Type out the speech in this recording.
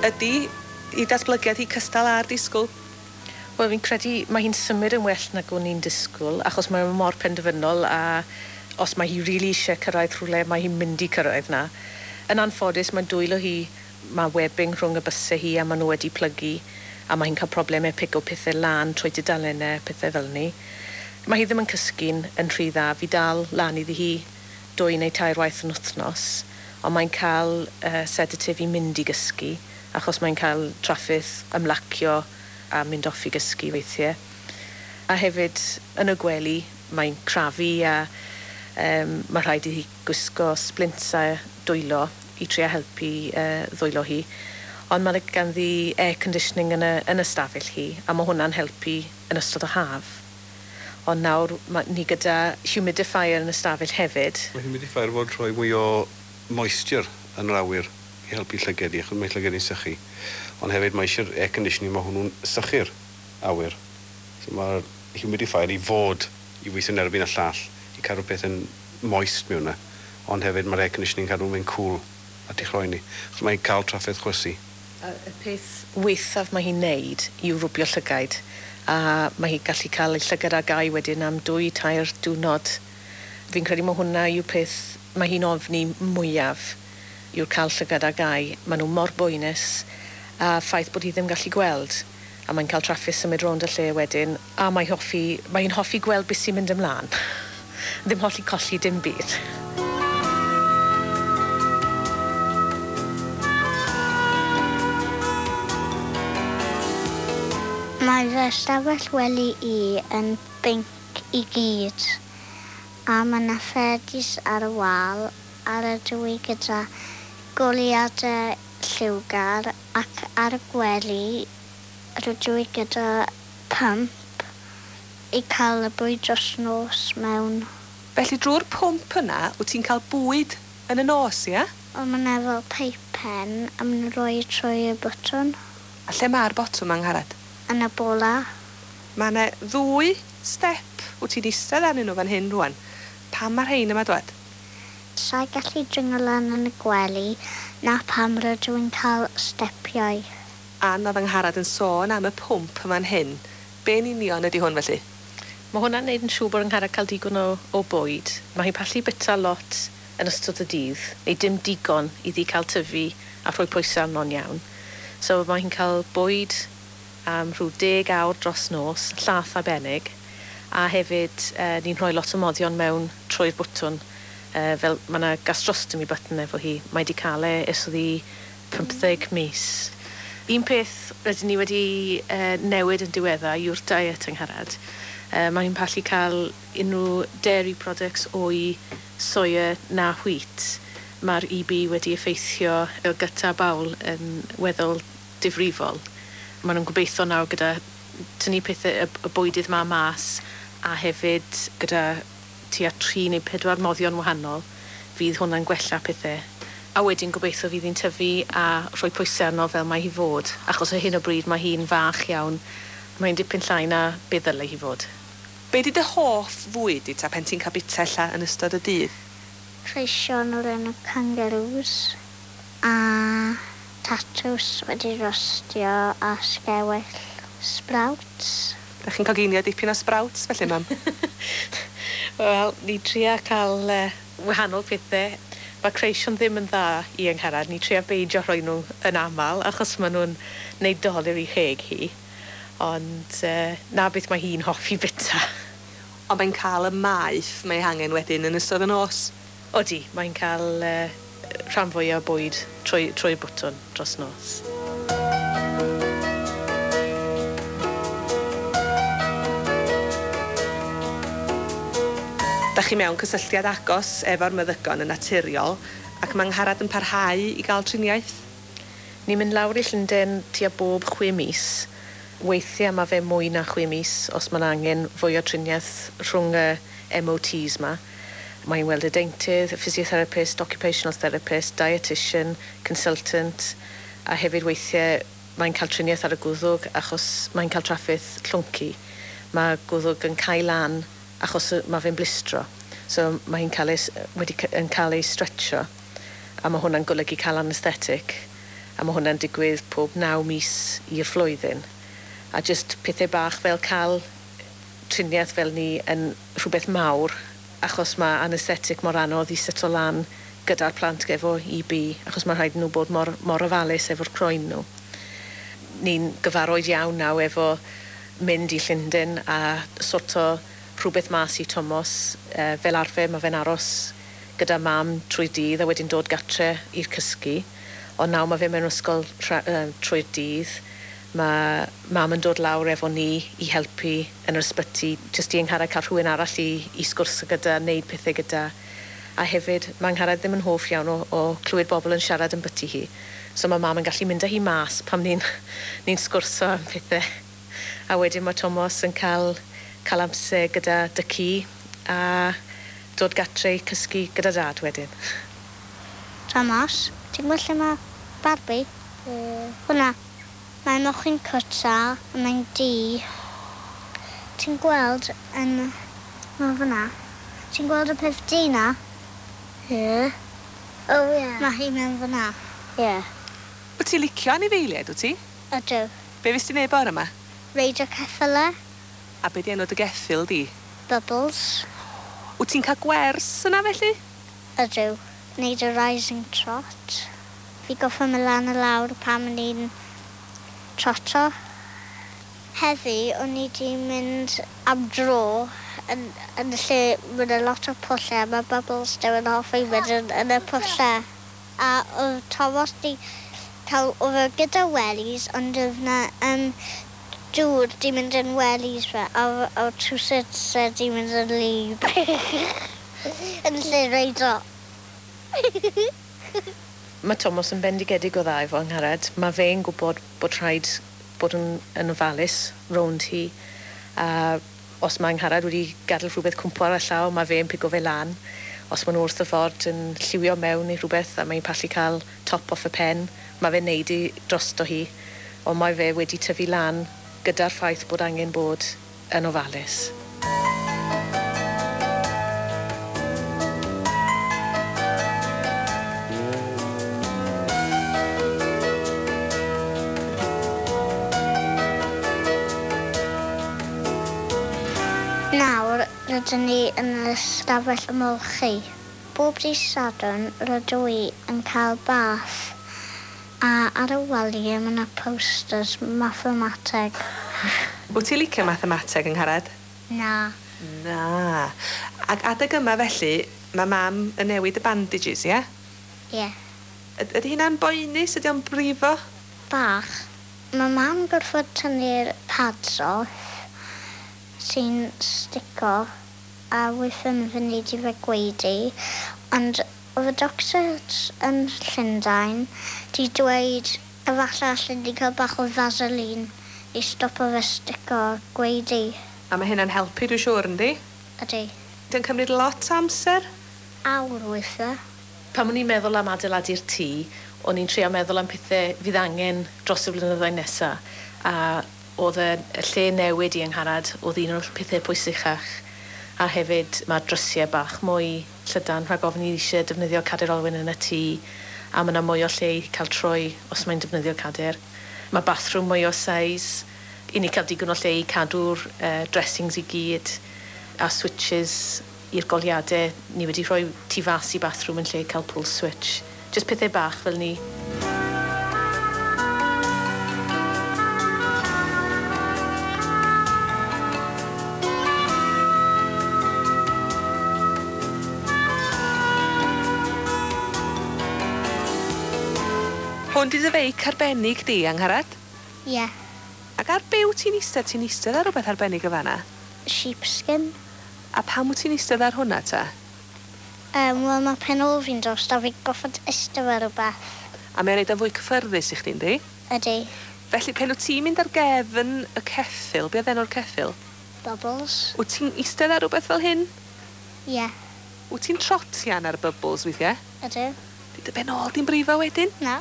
Ydy 'i datblygiad hi cystal â'r disgwl? Wel fi'n credu mae hi'n symud yn well nag o'n i'n disgwl achos mae o mor penderfynol a os mae hi rili isie cyrraedd rhywle mae hi'n mynd i cyrraedd 'na. Yn anffodus mae dwylo hi ma' webbing rhwng y byse hi a ma' nw wedi plygu a ma' hi'n ca'l probleme pigo pethe lan trwy tudalenne pethe fel 'ny. Mae hi ddim yn cysgu'n yn rhy dda fi dal lan iddi hi dwy neu tair waith yn wthnos on' mae'n ca'l yy sedatif i mynd i gysgu achos mae'n cael traffeth ymlacio a mynd off i gysgu weithie. A hefyd yn y gwely mae'n crafu a yym ma' rhaid i hi gwisgo splints a dwylo i trio helpu yy ddwylo hi. Ond ma' 'na ganddi air conditioning yn y yn y stafell hi a ma' hwnna'n helpu yn ystod y haf. Ond nawr ma' ni gyda humidifier yn y stafell hefyd. Mae humidifier fod rhoi mwy o moisture yn yr awyr i helpu llyged i achos mae llyged i'n sychu. Ond hefyd mae eisiau'r air conditioning ma' hwnnw'n sychu'r awyr. So ma'r humidifier i fod i weithio'n erbyn y llall i cadw peth yn moist mewn 'na. Ond hefyd ma'r air conditioning cadw fe'n cool a ti chroeni. Achos mae'n cael trafferth chwysu. A y peth waethaf mae hi'n neud yw rwbio llygaid a mae hi gallu cael ei llygad ar gau wedyn am dwy tair diwrnod. Fi'n credu ma' hwnna yw peth mae hi'n ofni mwyaf yw'r cael llygad ar gau. Ma' nw mor boenus a ffaith bod hi ddim gallu gweld a mae'n cael trafferth symud rownd y lle wedyn a mae hoffi mae hi'n hoffi gweld beth sy'n mynd ymlan. Ddim holli colli dim byd. Mae fy ystafell wely i yn binc i gyd a ma' 'na ffedis ar y wal a rydw i gyda goleuade lliwgar ac ar y gwely rydw i gyda pump i cael y bwyd dros nos mewn. Felly drw'r pwmp yna wt ti'n cael bwyd yn y nos ia? Wel ma' 'na fel peipen a ma' nhw'n rhoi e trwy y botwm. A lle ma'r botwm Angharad? Yn y bola. Ma' 'ne ddwy step wt ti'n eistedd arnyn nhw fan hyn rŵan. Pam ma' rhein yma dwad? Sai gallu dringo lan yn y gwely 'na pam rydw i'n cael stepiau. Ann o'dd Angharad yn sôn am y pwmp yn fan hyn. Be' yn union ydi hwn felly? Ma' hwnna'n neud yn siŵr bod Angharad ca'l digon o o bwyd. Ma' hi'n pallu bita lot yn ystod y dydd, neu dim digon iddi ca'l tyfu a rhoi pwyse arno'n iawn. So ma' hi'n ca'l bwyd am rhyw deg awr dros nos, llath arbennig, a hefyd yy ni'n rhoi lot o moddion mewn trwy'r bwtwn yy fel ma' 'na gastrostomy button efo hi. Mae 'di ca'l e ers o'dd 'i pymtheg mis. Un peth rydyn ni wedi yy newid yn diweddar yw'r diet Angharad. Yy ma' hi'n pallu ca'l unrhyw dairy products o'i soya na wheat. Ma'r EB wedi effeithio y gut a bowel yn weddol difrifol. Ma' nw'n gobeitho nawr gyda tynnu pethe y y bwydydd 'ma mas a hefyd gyda tua tri neu pedwar moddion wahanol fydd hwnna'n gwella pethe. A wedyn gobeitho fydd hi'n tyfu a rhoi pwyse arno fel mae hi fod achos ar hyn o bryd mae hi'n fach iawn. Mae'n dipyn llai na be ddyle hi fod. Be' 'di dy hoff fwyd di ta pen ti'n ca'l bita ella yn ystod y dydd? Creision o'r enw kangaroos a tatws wedi rostio a sgewyll sprouts. Dach chi'n coginio dipyn o sprouts felly mam? Wel, ni tria ca'l yy wahanol pethe. Ma' creision ddim yn dda i Angharad, ni tria beidio rhoi nw yn amal achos ma' nw'n neud dolur i cheg hi. Ond yy 'na beth mae hi'n hoffi bita. Ond mae'n ca'l y maeth mae hangen wedyn yn ystod y nos? Odi, mae'n ca'l yy rhan fwya o bwyd trwy trwy'r bwtwn dros nos. Dach chi mewn cysylltiad agos efo'r meddygon yn naturiol ac ma' Angharad yn parhau i ga'l triniaeth? Ni'n mynd lawr i Llunden tua bob chwe mis. Weithie ma' fe mwy na chwe mis os ma' 'na angen fwy o trinieth rhwng y MOTs 'ma. Mae'n weld y deintydd, y physiotherapist, occupational therapist, dietitian, consultant, a hefyd weithie mae'n cael trinieth ar y gwddwg achos mae'n cael trafferth llwncu. Ma' gwddwg yn cau lan achos yy ma' fe'n blistro. So ma' hi'n cael ei s- wedi c- yn cael ei stretcho a ma' hwnna'n golygu cael anaesthetic. A mae hwnna'n digwydd pob 9 mis i'r flwyddyn. A jyst pethau bach fel cael triniaeth fel ni yn rhywbeth mawr, achos mae anaesthetic mor anodd i seto lan gyda'r plant efo EB, achos mae rhaid nhw bod mor, mor ofalus efo'r croen nhw. Ni'n gyfarwydd iawn nawr efo mynd i Llundain a sorto rhywbeth mas i Tomos. Fel arfer mae fe'n aros gyda mam trwy dydd a wedyn dod gatre i'r cysgu. Ond nawr mae fe mewn ysgol trwy'r dydd. Mae mam yn dod lawr efo ni i helpu yn yr ysbyty, jyst i Angharad cael rhywun arall i sgwrsio gyda, wneud pethau gyda. A hefyd, mae Angharad ddim yn hoff iawn o clywed bobl yn siarad yn byty hi. So mae mam yn gallu mynd â hi mas pam ni'n sgwrso am pethau. A wedyn mae Tomos yn cael amser gyda dy a dod gatre i cysgu gyda dad wedyn. Tomos, ti'n gweld lle mae Barbie? Hwna. Mae mochyn cwta a mae'n du. Ti'n gweld yn... Mae fyna. Ti'n gweld y peth du na? Ie. Oh, ie. Mae hi mewn fyna. Ie. Wyt ti'n licio anifeiliaid, wyt ti? Ydw. Be fes ti'n neud bore yma? Reidio ceffyle. A be di enw dy geffyl di? Bubbles. Wyt ti'n cael gwers yna felly? Ydw. Neud y rising trot. Fi goffa mynd lan a lawr pan o'n i'n troto. Heddi, o'n i wedi mynd am dro yn y lle mae yna lot o pwllau a mae Bubbles ddim yn hoffi mynd yn y pwllau. A oedd Tomos di cael, oedd e gyda wellies, ond oedd na dŵr di mynd yn wellies fe, a oedd trowsus e di mynd yn wlyb. Yn lle reido. Mae Tomos yn bendigedig o dda efo Angharad. Mae fe'n gwybod bod rhaid bod yn ofalus rownd hi. A os mae Angharad wedi gadael rhywbeth cwmpo ar y llaw, mae fe'n pigo fe lan. Os maen nhw wrth y ffordd yn lliwio mewn neu rhywbeth a mae'n pallu cael top off y pen, mae fe'n neud i drosto hi. Ond mae fe wedi tyfu lan gyda'r ffaith bod angen bod yn ofalus. Nawr, rydyn ni yn y stafell ymolchi. Bob dydd Sadwrn, rydw i yn cael bath. A ar y waliau mae yna posters mathemateg. Wyt ti'n licio mathemateg, Angharad? Na. Na. Ac adeg yma felly, mae mam yn newid y bandages, ie? Ie. Ydy hynna'n boenus? Ydy o'n brifo? Bach. Mae mam gorfod tynnu'r pads off sy'n stico a weithiau mae fe'n neud i fe gwaedu. Ond oedd y doctor yn Llundain di dweud efallai allan ni cael bach o Vaseline i stopo fe stico a gwaedu. A mae hynna'n helpu, dwi'n siŵr, yndi? Ydy. Ydy'n cymryd lot o amser? Awr weithiau. Pan o'n i'n meddwl am adeiladu'r tŷ, o'n i'n trio meddwl am pethau fydd angen dros y blynyddoedd nesaf. A oedd y lle newid i Angharad, oedd un o'r pethau pwysicach. A hefyd mae drysiau bach mwy llydan, rhag ofn i eisiau defnyddio cadair olwyn yn y tŷ, a mae yna mwy o lle i cael troi os mae'n defnyddio cadair. Mae bathroom mwy o size, i ni cael digon o lle i cadw'r dressings i gyd, a switches i'r goliadau. Ni wedi rhoi tu fas i bathroom yn lle cael pull switch. Just pethau bach fel ni. Hwn 'di dy feic arbennig di, Angharad? Ie. Ac ar be wyt ti'n eistedd? Ti'n eistedd ar rhywbeth arbennig o fan'na? Sheepskin. A pam wyt ti'n eistedd ar hwnna ta? Wel, mae pen ôl fi'n dost a fi'n goffod eistedd ar rhywbeth. A mae'n neud o'n fwy cyffyrddus i chdi, yndi? Ydy. Felly, pen wyt ti'n mynd ar gefn y ceffyl, be oedd enw'r ceffyl? Bubbles. Wyt ti'n eistedd ar rhywbeth fel hyn? Ie. Wyt ti'n trotian ar Bubbles weithiau? Ydw. Di dy ben ôl di'n brifo wedyn? Na.